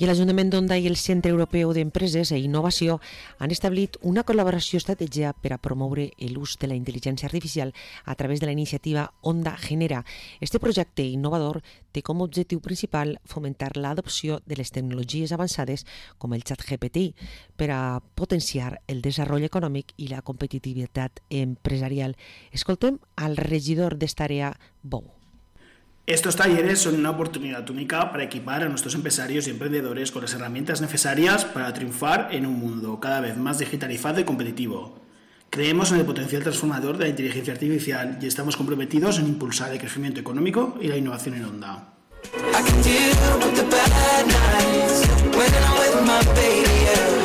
I l'Ajuntament d'Onda i el Centre Europeu d'Empreses i Innovació han establit una col·laboració estratègica per a promoure l'ús de la intel·ligència artificial a través de la iniciativa Onda Genera. Este projecte innovador té com a objectiu principal fomentar l'adopció de les tecnologies avançades com el ChatGPT per a potenciar el desenvolupament econòmic i la competitivitat empresarial. Escoltem al regidor d'esta àrea, Bou. Estos talleres son una oportunidad única para equipar a nuestros empresarios y emprendedores con las herramientas necesarias para triunfar en un mundo cada vez más digitalizado y competitivo. Creemos en el potencial transformador de la inteligencia artificial y estamos comprometidos en impulsar el crecimiento económico y la innovación en Onda. I can deal with the bad nights when I'm with my baby, yeah.